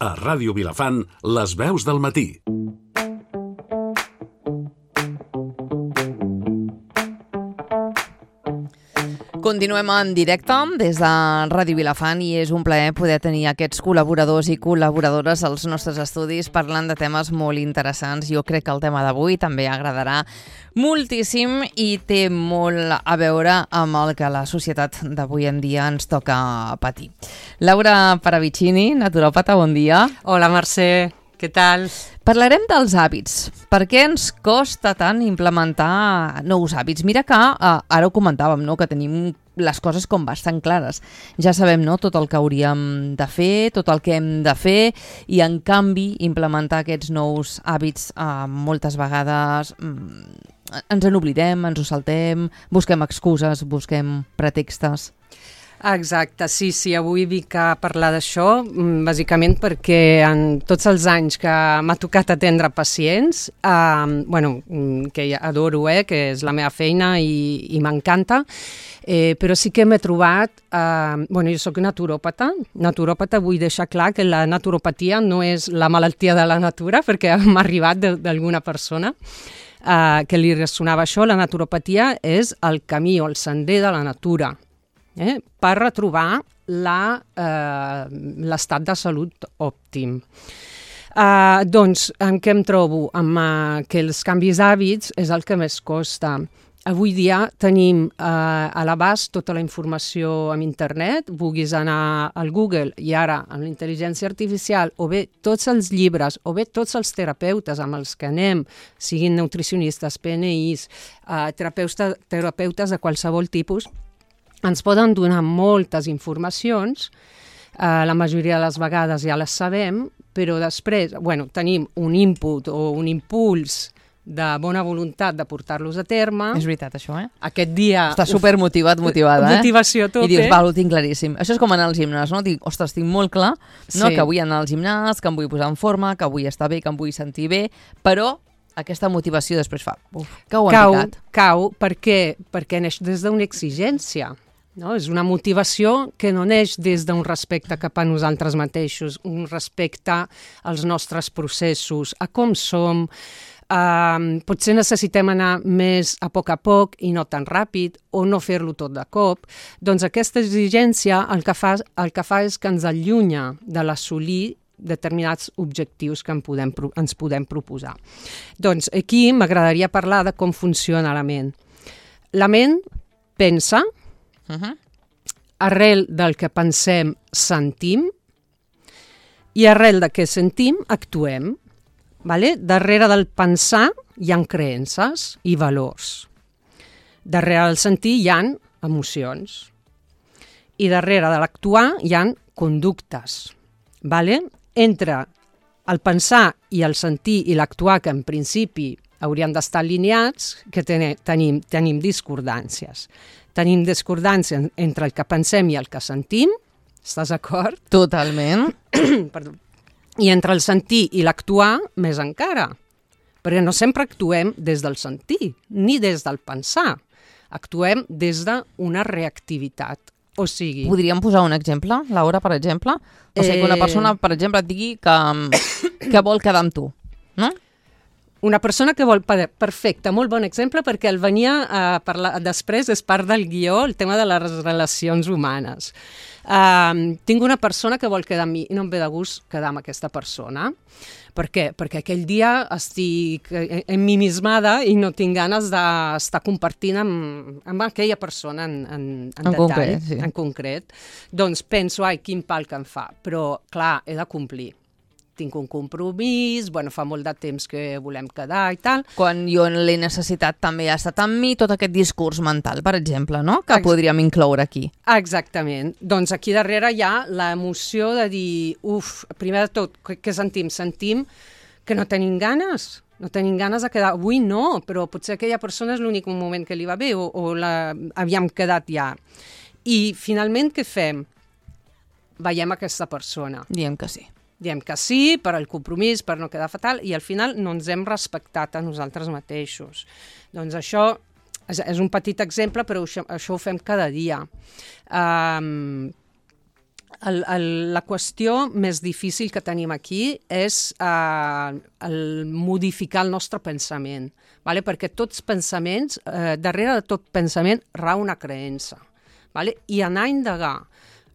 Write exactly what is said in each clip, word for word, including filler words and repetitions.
A Ràdio Vilafant, les veus del matí. Continuem en directe des de Ràdio Vilafant i és un plaer poder tenir aquests col·laboradors i col·laboradores als nostres estudis parlant de temes molt interessants. Jo crec que el tema d'avui també agradarà moltíssim i té molt a veure amb el que la societat d'avui en dia ens toca patir. Laura Paravicini, naturòpata, bon dia. Hola, Mercè. Què tal? Parlarem dels hàbits. Per què ens costa tant implementar nous hàbits? Mira que eh, ara ho comentàvem, no? Que tenim les coses com bastant clares. Ja sabem, no?, tot el que hauríem de fer, tot el que hem de fer, i en canvi implementar aquests nous hàbits eh, moltes vegades mm, ens en oblidem, ens ho saltem, busquem excuses, busquem pretextes. Exacte, sí, sí, avui vinc a parlar d'això, bàsicament perquè en tots els anys que m'ha tocat atendre pacients, eh, bueno, que adoro, eh, que és la meva feina i, i m'encanta, eh, però sí que m'he trobat, eh, bueno, jo soc naturòpata, naturòpata vull deixar clar que la naturopatia no és la malaltia de la natura, perquè m'ha arribat d'alguna persona eh, que li ressonava això. La naturopatia és el camí o el sender de la natura, Eh, per retrobar la, eh, l'estat de salut òptim. Eh, doncs, en què em trobo? Amb eh, que els canvis d'hàbits és el que més costa. Avui dia tenim eh, a l'abast tota la informació en internet, vulguis anar al Google i ara amb la intel·ligència artificial, o bé tots els llibres, o bé tots els terapeutes amb els que anem, siguin nutricionistes, P N Is, eh, terapeutes, terapeutes de qualsevol tipus, ens poden donar moltes informacions, eh, la majoria de les vegades ja les sabem, però després, bueno, tenim un input o un impuls de bona voluntat de portar-los a terme. És veritat, això, eh? Aquest dia... Està supermotivat, motivada, eh? Motivació a tope. I dius, val, ho tinc claríssim. Això és com anar al gimnàs, no? Dic, ostres, tinc molt clar, no? Sí. Que vull anar al gimnàs, que em vull posar en forma, que vull estar bé, que em vull sentir bé, però aquesta motivació després fa... Uf, cau en cau, picat. Cau, per què? Perquè neix des d'una exigència. No? És una motivació que no neix des d'un respecte cap a nosaltres mateixos, un respecte als nostres processos, a com som. Uh, potser necessitem anar més a poc a poc i no tan ràpid, o no fer-lo tot de cop. Doncs aquesta exigència el que fa, el que fa és que ens allunya de l'assolir determinats objectius que en podem, ens podem proposar. Doncs aquí m'agradaria parlar de com funciona la ment. La ment pensa, Uh-huh. arrel del que pensem, sentim, i arrel del que sentim, actuem. Vale? Darrere del pensar hi ha creences i valors. Darrere del sentir hi ha emocions. I darrere de l'actuar hi ha conductes. Vale? Entre el pensar i el sentir i l'actuar, que en principi haurien d'estar alineats, que ten tenim, tenim discordàncies. Tenim discordància entre el que pensem i el que sentim, estàs d'acord? Totalment. Perdó. I entre el sentir i l'actuar, més encara, perquè no sempre actuem des del sentir, ni des del pensar. Actuem des d'una reactivitat. O sigui... Podríem posar un exemple, Laura, per exemple? O sigui, que una persona, per exemple, et digui que, que vol quedar amb tu, no? Una persona que vol... Perfecte, molt bon exemple, perquè el venia a parlar després, és part del guió, el tema de les relacions humanes. Uh, tinc una persona que vol quedar amb mi i no em ve de gust quedar amb aquesta persona. Per què? Perquè aquell dia estic emmimismada i no tinc ganes d'estar compartint amb, amb aquella persona en, en, en, en detall, concret, sí. en concret. Doncs penso, ai, quin pal que em fa. Però, clar, he de complir. Tinc un compromís, bueno, fa molt de temps que volem quedar i tal. Quan jo l'he necessitat també ha estat amb mi tot aquest discurs mental, per exemple, no? Que Ex podríem incloure aquí. Exactament. Doncs aquí darrere hi ha l'emoció de dir, uf, primer de tot, què sentim? Sentim que no tenim ganes, no tenim ganes de quedar. Avui no, però potser aquella persona és l'únic moment que li va bé o, o la, havíem quedat ja. I finalment què fem? Veiem aquesta persona. Diem que sí. Diem que sí, per al compromís, per no quedar fatal, i al final no ens hem respectat a nosaltres mateixos. Doncs això és, és un petit exemple, però això, això ho fem cada dia. Um, el, el, la qüestió més difícil que tenim aquí és uh, el modificar el nostre pensament, vale? Perquè tots pensaments, uh, darrere de tot pensament rau una creença, vale? I anar a indagar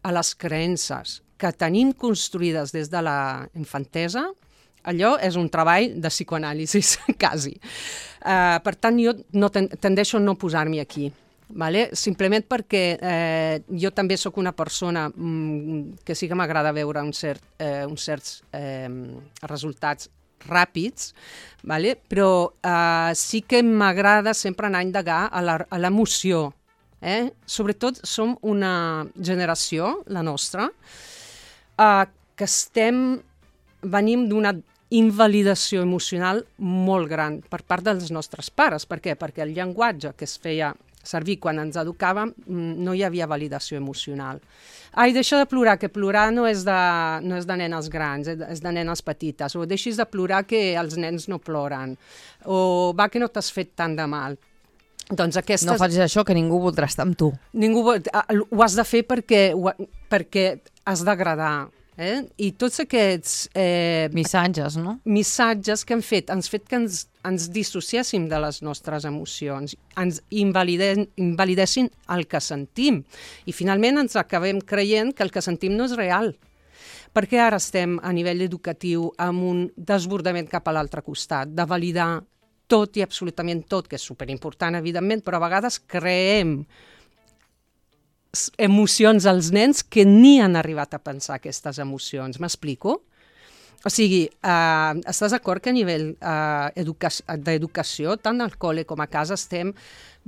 a les creences que tenim construïdes des de la infantesa, allò és un treball de psicoanàlisi, quasi. Uh, per tant, jo no ten tendeixo a no posar-m'hi aquí. Vale? Simplement perquè eh, jo també sóc una persona mm, que sí que m'agrada veure un cert, eh, uns certs eh, resultats ràpids, vale? Però eh, sí que m'agrada sempre anar a indagar a l'emoció. Eh? Sobretot som una generació, la nostra, eh, que estem, venim d'una invalidació emocional molt gran per part dels nostres pares. Per què? Perquè el llenguatge que es feia servir quan ens educàvem no hi havia validació emocional. Ai, deixa de plorar, que plorar no és de, no és de nenes grans, és de nenes petites. O deixis de plorar, que els nens no ploren. O va, que no t'has fet tant de mal. Doncs aquestes... No facis això, que ningú voldrà estar amb tu. Ningú vol... Ho has de fer perquè, perquè has d'agradar. Eh? I tots aquests eh, missatges, no? Missatges que han fet, han fet que ens, ens dissociéssim de les nostres emocions, ens invalide, invalidessin el que sentim. I finalment ens acabem creient que el que sentim no és real. Perquè ara estem a nivell educatiu amb un desbordament cap a l'altre costat, de validar tot i absolutament tot, que és superimportant, evidentment, però a vegades creem emocions als nens que ni han arribat a pensar aquestes emocions. M'explico? O sigui, eh, estàs d'acord que a nivell eh, d'educació, tant al col·le com a casa, estem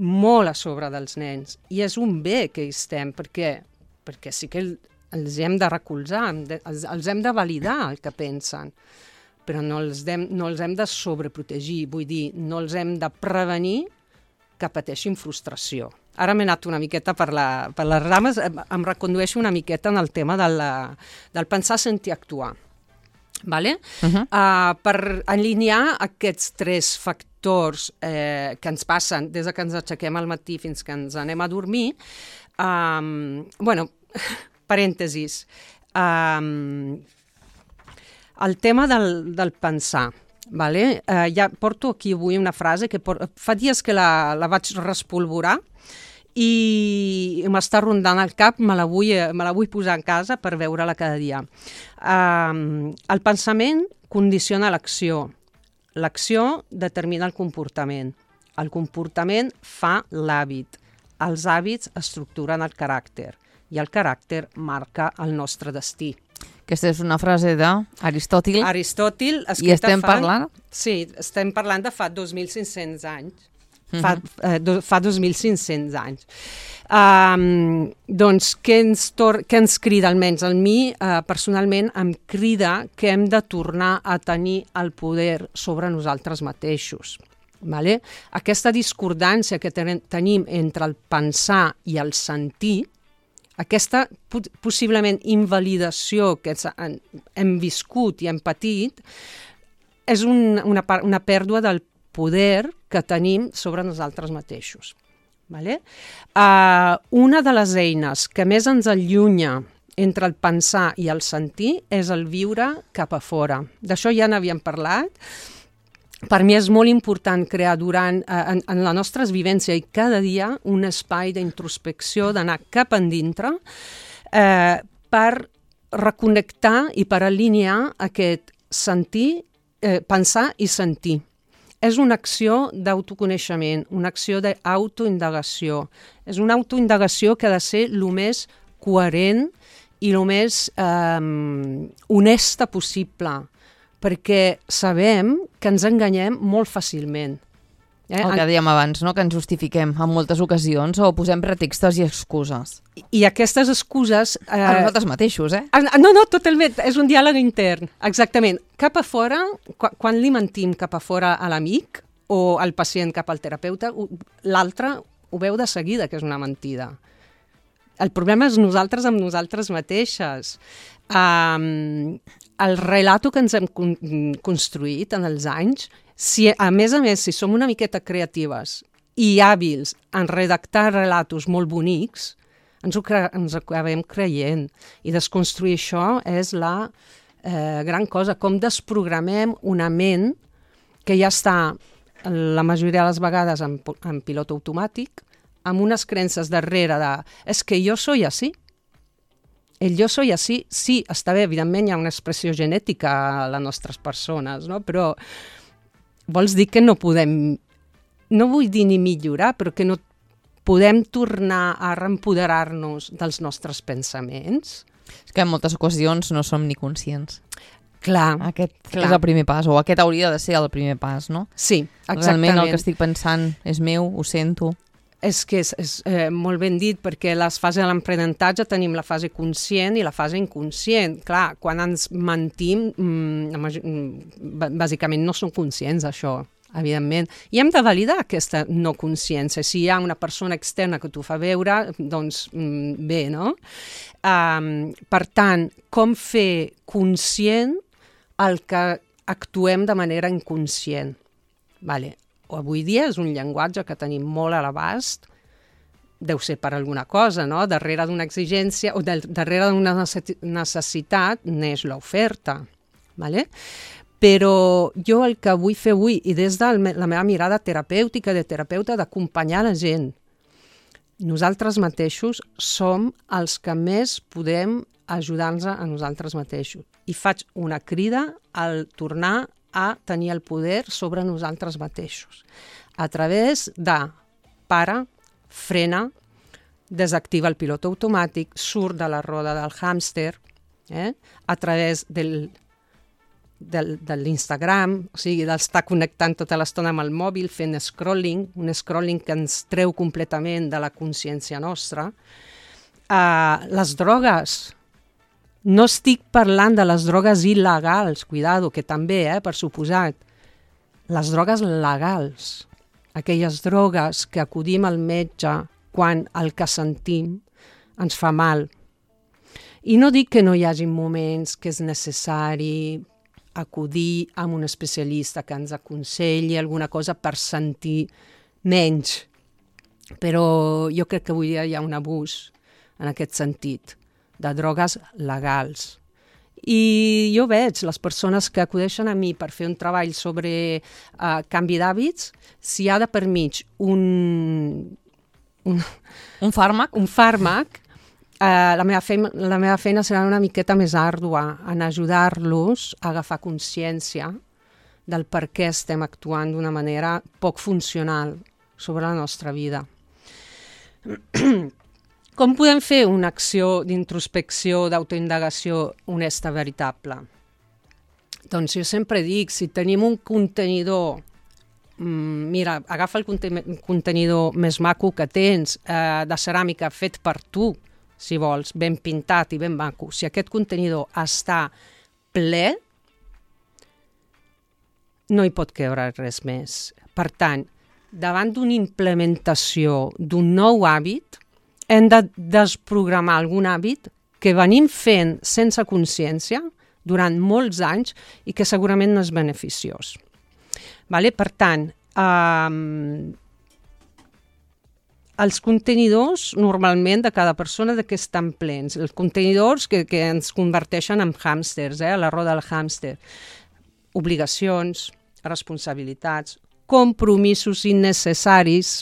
molt a sobre dels nens. I és un bé que hi estem, perquè, perquè sí que els hem de recolzar, els, els hem de validar el que pensen, però no els, hem, no els hem de sobreprotegir, vull dir, no els hem de prevenir que pateixin frustració. Ara m'he anat una miqueta per, la, per les rames, em recondueixo una miqueta en el tema de la, del pensar, sentir, actuar. Vale? Uh-huh. uh, per alinear aquests tres factors eh, que ens passen des que ens aixequem al matí fins que ens anem a dormir, um, bueno, parèntesis, um, el tema del, del pensar. Vale? Uh, ja porto aquí avui una frase que por... fa dies que la, la vaig respolvorar i m'està rondant al cap, me la, vull, me la vull posar en casa per veure-la cada dia. Uh, el pensament condiciona l'acció. L'acció determina el comportament. El comportament fa l'hàbit. Els hàbits estructuren el caràcter i el caràcter marca el nostre destí. Aquesta és una frase d'Aristòtil. Aristòtil, escrita I estem fa... parlant? Sí, estem parlant de fa dos mil cinc-cents anys. Uh-huh. Fa, eh, do, fa dos mil cinc-cents anys. Um, doncs, què ens, tor què ens crida, almenys a mi, uh, personalment, em crida que hem de tornar a tenir el poder sobre nosaltres mateixos. Vale? Aquesta discordància que ten tenim entre el pensar i el sentir, aquesta possiblement invalidació que hem viscut i hem patit, és un, una, una pèrdua del poder que tenim sobre nosaltres mateixos. Vale? Uh, una de les eines que més ens allunya entre el pensar i el sentir és el viure cap a fora. D'això ja n'havíem parlat. Per mi és molt important crear durant, eh, en, en la nostra vivència i cada dia un espai d'introspecció, d'anar cap endintre, eh, per reconnectar i per alinear aquest sentir, eh, pensar i sentir. És una acció d'autoconeixement, una acció d'autoindagació. És una autoindagació que ha de ser el més coherent i el més eh, honesta possible, perquè sabem que ens enganyem molt fàcilment. Eh? El que dèiem abans, no? Que ens justifiquem en moltes ocasions o posem pretextes i excuses. I, i aquestes excuses... Eh... A nosaltres mateixos, eh? No, no, totalment, és un diàleg intern, exactament. Cap a fora, quan, quan li mentim cap a fora a l'amic o al pacient cap al terapeuta, l'altre ho veu de seguida que és una mentida. El problema és nosaltres amb nosaltres mateixes. Um, el relato que ens hem con construït en els anys, si, a més a més, si som una miqueta creatives i hàbils en redactar relatos molt bonics, ens ho, cre ens ho acabem creient. I desconstruir això és la eh, gran cosa, com desprogramem una ment que ja està la majoria de les vegades en, en pilot automàtic, amb unes creences darrere de és que jo soy así. El jo soy así, sí, està bé, evidentment hi ha una expressió genètica a les nostres persones, no? Però vols dir que no podem, no vull dir ni millorar, però que no podem tornar a reempoderar-nos dels nostres pensaments? És que en moltes ocasions no som ni conscients. Clar, Aquest clar. és el primer pas, o aquest hauria de ser el primer pas, no? Sí, exactament. Realment el que estic pensant és meu, ho sento. És que és, és eh, molt ben dit, perquè les fases de l'aprenentatge tenim la fase conscient i la fase inconscient. Clar, quan ens mentim, mmm, bàsicament no som conscients d'això, evidentment. I hem de validar aquesta no consciència. Si hi ha una persona externa que t'ho fa veure, doncs mm, bé, no? Um, per tant, com fer conscient el que actuem de manera inconscient? Vale. Avui dia és un llenguatge que tenim molt a l'abast, deu ser per alguna cosa, no? Darrere d'una exigència o de, darrere d'una necessitat neix l'oferta, vale? Però jo el que vull fer avui, i des de la meva mirada terapèutica, de terapeuta, d'acompanyar la gent, nosaltres mateixos som els que més podem ajudar-nos a nosaltres mateixos. I faig una crida al tornar a tenir el poder sobre nosaltres mateixos. A través de para, frena, desactiva el pilot automàtic, surt de la roda del hàmster, eh? A través del, del, de l'Instagram, o sigui, d'estar connectant tota l'estona amb el mòbil, fent scrolling, un scrolling que ens treu completament de la consciència nostra. Uh, les drogues, no estic parlant de les drogues il·legals, cuidado, que també, eh, per suposat. Les drogues legals, aquelles drogues que acudim al metge quan el que sentim ens fa mal. I no dic que no hi hagi moments que és necessari acudir a un especialista que ens aconselli alguna cosa per sentir menys, però jo crec que avui dia hi ha un abús en aquest sentit, de drogues legals. I jo veig les persones que acudeixen a mi per fer un treball sobre uh, canvi d'hàbits, si hi ha de per mig un, un, un fàrmac, un fàrmac uh, la, meva feina, la meva feina serà una miqueta més àrdua en ajudar-los a agafar consciència del per què estem actuant d'una manera poc funcional sobre la nostra vida. Com podem fer una acció d'introspecció, d'autoindagació honesta, veritable? Doncs jo sempre dic, si tenim un contenidor, mmm, mira, agafa el contenidor més maco que tens, eh, de ceràmica fet per tu, si vols, ben pintat i ben maco. Si aquest contenidor està ple, no hi pot caure res més. Per tant, davant d'una implementació d'un nou hàbit, hem de desprogramar algun hàbit que venim fent sense consciència durant molts anys i que segurament no és beneficiós. Vale? Per tant, um, els contenidors normalment de cada persona de què estan plens, els contenidors que, que ens converteixen en hàmsters, eh, a la roda del hàmster, obligacions, responsabilitats, compromisos innecessaris,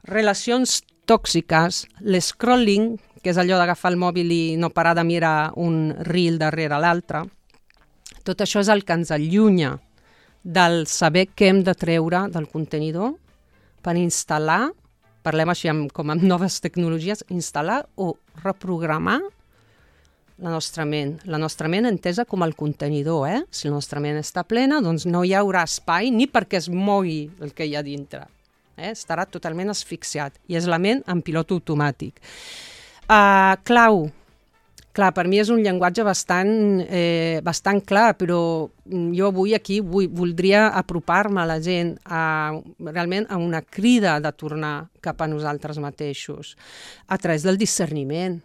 relacions tòxiques, l'escrolling, que és allò d'agafar el mòbil i no parar de mirar un reel darrere l'altre. Tot això és el que ens allunya del saber què hem de treure del contenidor per instal·lar, parlem així amb, com amb noves tecnologies, instal·lar o reprogramar la nostra ment. La nostra ment entesa com el contenidor, eh? Si la nostra ment està plena, doncs no hi haurà espai ni perquè es mogui el que hi ha dintre. Eh? Estarà totalment asfixiat i és la ment en pilot automàtic. Uh, clau, clar, per mi és un llenguatge bastant, eh, bastant clar, però jo avui aquí vull, voldria apropar-me a la gent a, realment a una crida de tornar cap a nosaltres mateixos a través del discerniment.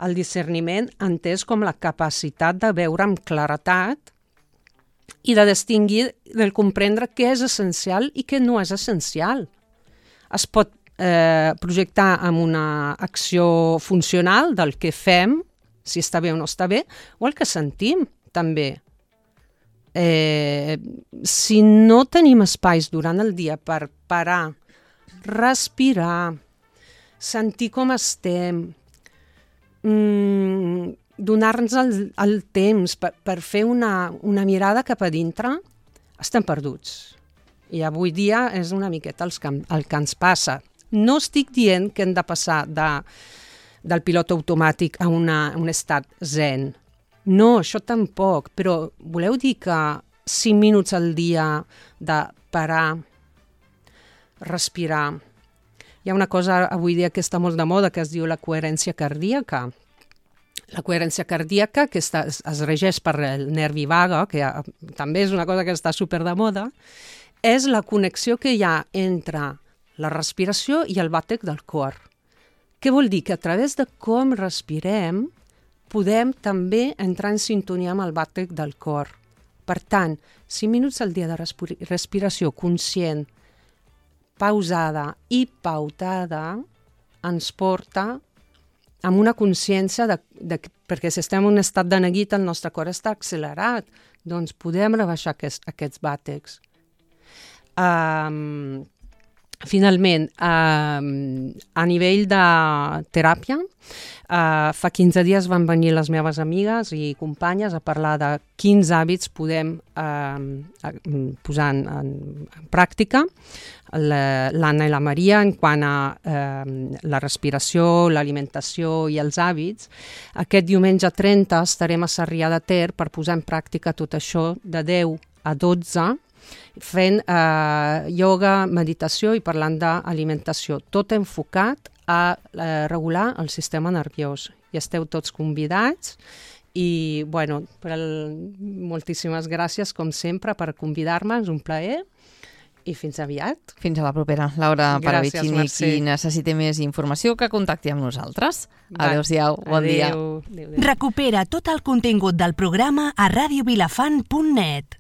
El discerniment entès com la capacitat de veure amb claretat i de distingir, de comprendre què és essencial i què no és essencial. Es pot eh, projectar amb una acció funcional del que fem, si està bé o no està bé, o el que sentim, també. Eh, si no tenim espais durant el dia per parar, respirar, sentir com estem, mmm, donar-nos el, el temps per, per fer una, una mirada cap a dintre, estem perduts. I avui dia és una miqueta el que, el que ens passa. No estic dient que hem de passar de, del pilot automàtic a, una, a un estat zen. No, això tampoc, però voleu dir que cinc minuts al dia de parar, respirar. Hi ha una cosa avui dia que està molt de moda que es diu la coherència cardíaca. La coherència cardíaca, que està, es, es regeix per el nervi vague, que ha, també és una cosa que està super de moda, és la connexió que hi ha entre la respiració i el bàtec del cor. Què vol dir? Que a través de com respirem podem també entrar en sintonia amb el bàtec del cor. Per tant, cinc minuts al dia de respiració conscient, pausada i pautada ens porta amb una consciència de, de, perquè si estem en un estat de neguit el nostre cor està accelerat, doncs podem rebaixar aquest, aquests bàtecs. Um, finalment, um, a nivell de teràpia, uh, fa quinze dies van venir les meves amigues i companyes a parlar de quins hàbits podem uh, posar en, en pràctica, l'Anna i la Maria, en quant a eh, la respiració, l'alimentació i els hàbits. Aquest diumenge trenta estarem a Sarrià de Ter per posar en pràctica tot això de deu a dotze, fent eh, ioga, meditació i parlant d'alimentació, tot enfocat a eh, regular el sistema nerviós. I esteu tots convidats i, bueno, per el, moltíssimes gràcies, com sempre, per convidar-me, és un plaer. I fins aviat. Fins a la propera. Laura Paravicini, Mercè. qui necessiti més informació, que contacti amb nosaltres. Adéu-siau, bon dia. Adéu. Adéu. Recupera tot el contingut del programa a radio vilafant punt net.